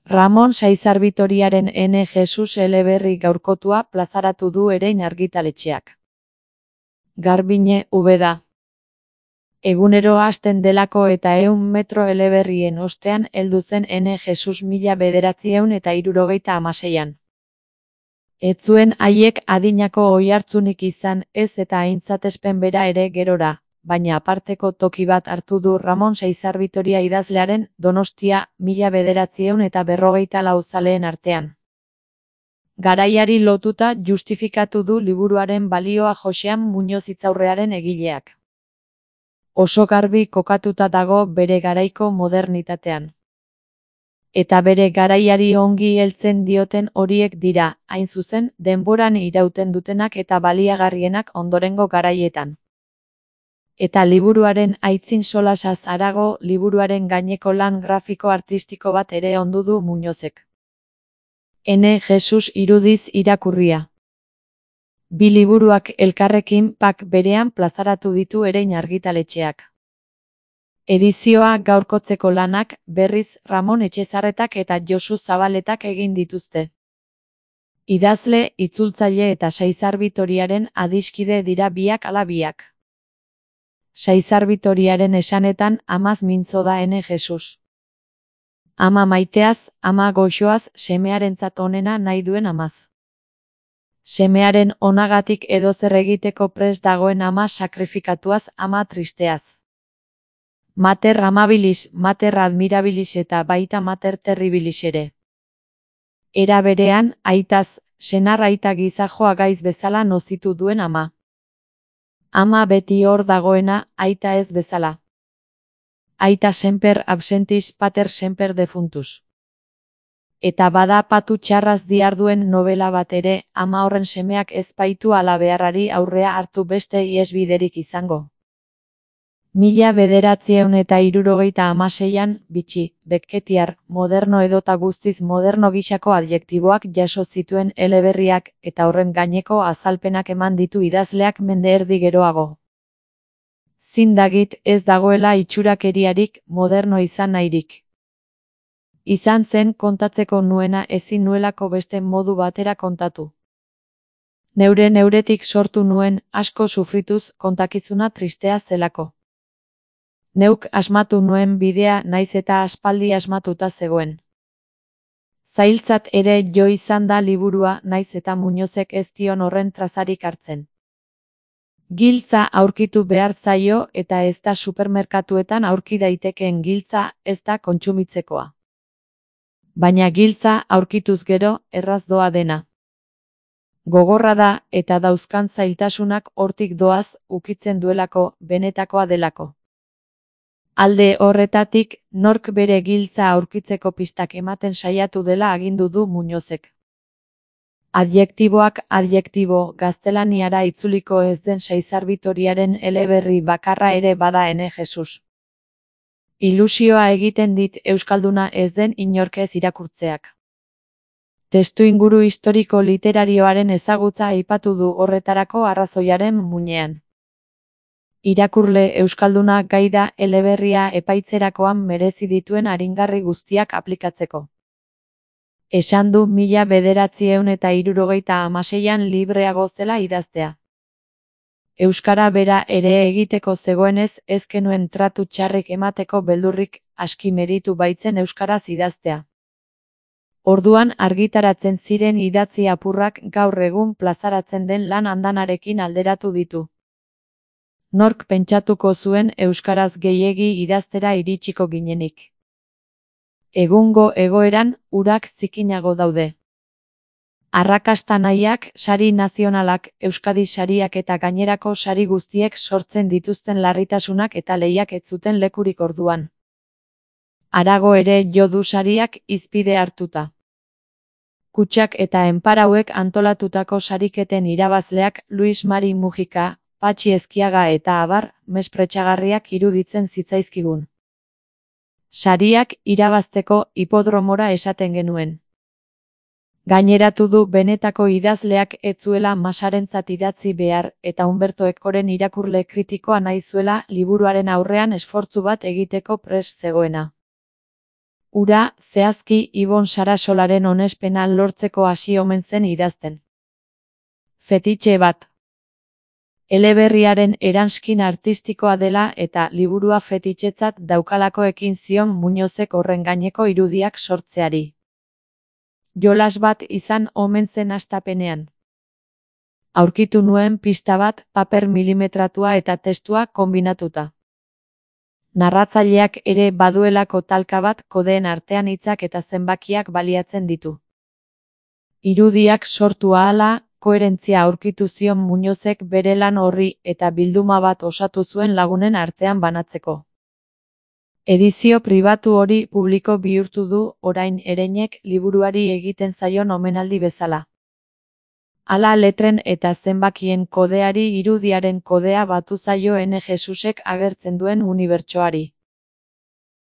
Ramon Saizar Bitoriaren N. Jesus eleberri gaurkotua plazaratu du Erein argitaletxeak. Garbine, Ubeda. Egunero hasten delako eta 100 metro eleberrien ostean heldu zen N. Jesus 1976an. Ez zuen haiek adinako oihartzunik izan, ez eta aintzatespen bera ere gerora, baina aparteko toki bat hartu du Ramon Saizar Bitoria idazlearen Donostia 1954 zaleen artean. Garaiari lotuta justifikatu du liburuaren balioa Joxean Muñoz Hitzaurrearen egileak. Oso garbi kokatuta dago bere garaiko modernitatean. Eta bere garaiari ongi heltzen dioten horiek dira, hain zuzen, denboran irauten dutenak eta baliagarrienak ondorengo garaietan. Eta liburuaren aitzin solasaz harago, liburuaren gaineko lan grafiko artistiko bat ere ondu du Muñozek. N. Jesus irudiz irakurria. Bi liburuak elkarrekin pak berean plazaratu ditu Erein argitaletxeak. Edizioa gaurkotzeko lanak, berriz, Ramon Etxezarretak eta Josu Zabaletak egin dituzte. Idazle, itzultzaile eta Saizar Bitoriaren adiskide dira biak ala biak. Saizar Bitoriaren esanetan amaz mintzo da N. Jesus. Ama maiteaz, ama goxoaz, semearentzat onena nahi duen amaz. Semearen onagatik edozer egiteko prest dagoen ama sakrifikatuaz, ama tristeaz. Mater amabilis, mater admirabilis eta baita mater terribilis ere. Era berean, aitaz, senar aita gizajoa gaiz bezala nozitu duen ama. Ama beti hor dagoena, aita ez bezala. Aita semper absentis pater semper defuntus. Eta bada patu txarraz diarduen novela bat ere, ama horren semeak ez baitu ala beharrari aurrea hartu beste iesbiderik izango. 1976an, bitxi, Becketiar, moderno edota guztiz moderno gisako adjektiboak jaso zituen eleberriak eta horren gaineko azalpenak eman ditu idazleak mende erdi geroago. Zindagit ez dagoela itxurakeriarik, moderno izan nahirik. Izan zen kontatzeko nuena ezin nuelako beste modu batera kontatu. Neuretik sortu nuen, asko sufrituz, kontakizuna tristea zelako. Neuk asmatu nuen bidea naiz eta aspaldi asmatuta zegoen. Zailtzat ere jo izan da liburua naiz eta Muñozek ez dion horren trazarik hartzen. Giltza aurkitu behar zaio eta ez da supermerkatuetan aurki daitekeen giltza, ez da kontsumitzekoa. Baina giltza aurkituz gero, erraz doa dena. Gogorra da eta dauzkan zailtasunak hortik doaz ukitzen duelako, benetakoa delako. Alde horretatik, nork bere giltza aurkitzeko pistak ematen saiatu dela agindu du Muñozek. Adjektiboak adjektibo gaztelaniara itzuliko ez den Saizar Bitoriaren eleberri bakarra ere bada N. Jesus. Ilusioa egiten dit euskalduna ez den inork ez irakurtzeak. Testuinguru historiko literarioaren ezagutza aipatu du horretarako arrazoiaren muinean. Irakurle euskalduna gai da eleberria epaitzerakoan merezi dituen aringarri guztiak aplikatzeko. Esan du 1976an libreago zela idaztea. Euskara bera ere egiteko zegoenez ez genuen tratu txarrik emateko beldurrik, aski meritu baitzen euskaraz idaztea. Orduan argitaratzen ziren idatzi apurrak gaur egun plazaratzen den lan andanarekin alderatu ditu. Nork pentsatuko zuen euskaraz gehiegi idaztera iritsiko ginenik. Egungo egoeran, urak zikinago daude. Arrakasta nahiak, sari nazionalak, Euskadi sariak eta gainerako sari guztiek sortzen dituzten larritasunak eta lehiak ez zuten lekurik orduan. Harago ere jo du sariak hizpide hartuta. Kutxak eta enparauek antolatutako sariketen irabazleak Luis Mari Mujika, Patxi Ezkiaga eta abar, mespretxagarriak iruditzen zitzaizkigun. Sariak irabazteko hipodromora esaten genuen. Gaineratu du benetako idazleak ez zuela Masarentzat idatzi behar eta Umberto Ekoren irakurle kritikoa nahi zuela liburuaren aurrean esfortzu bat egiteko prest zegoena. Ura, zehazki Ibon Sarasolaren onespena lortzeko hasi omen zen idazten. Fetitxe bat. Eleberriaren eranskin artistikoa dela eta liburua fetitxetzat daukalako ekin zion Muñozek horren gaineko irudiak sortzeari. Jolas bat izan omen zen hastapenean. Aurkitu nuen pista bat, paper milimetratua eta testua konbinatuta. Narratzaileak ere baduelako talka bat kodeen artean hitzak eta zenbakiak baliatzen ditu. Irudiak sortu ahala, koherentzia aurkitu zion Muñozek bere lan horri eta bilduma bat osatu zuen lagunen artean banatzeko. Edizio pribatu hori publiko bihurtu du orain Ereinek liburuari egiten zaion omenaldi bezala. Hala letren eta zenbakien kodeari irudiaren kodea batu zaio Ene Jesusek agertzen duen unibertsoari.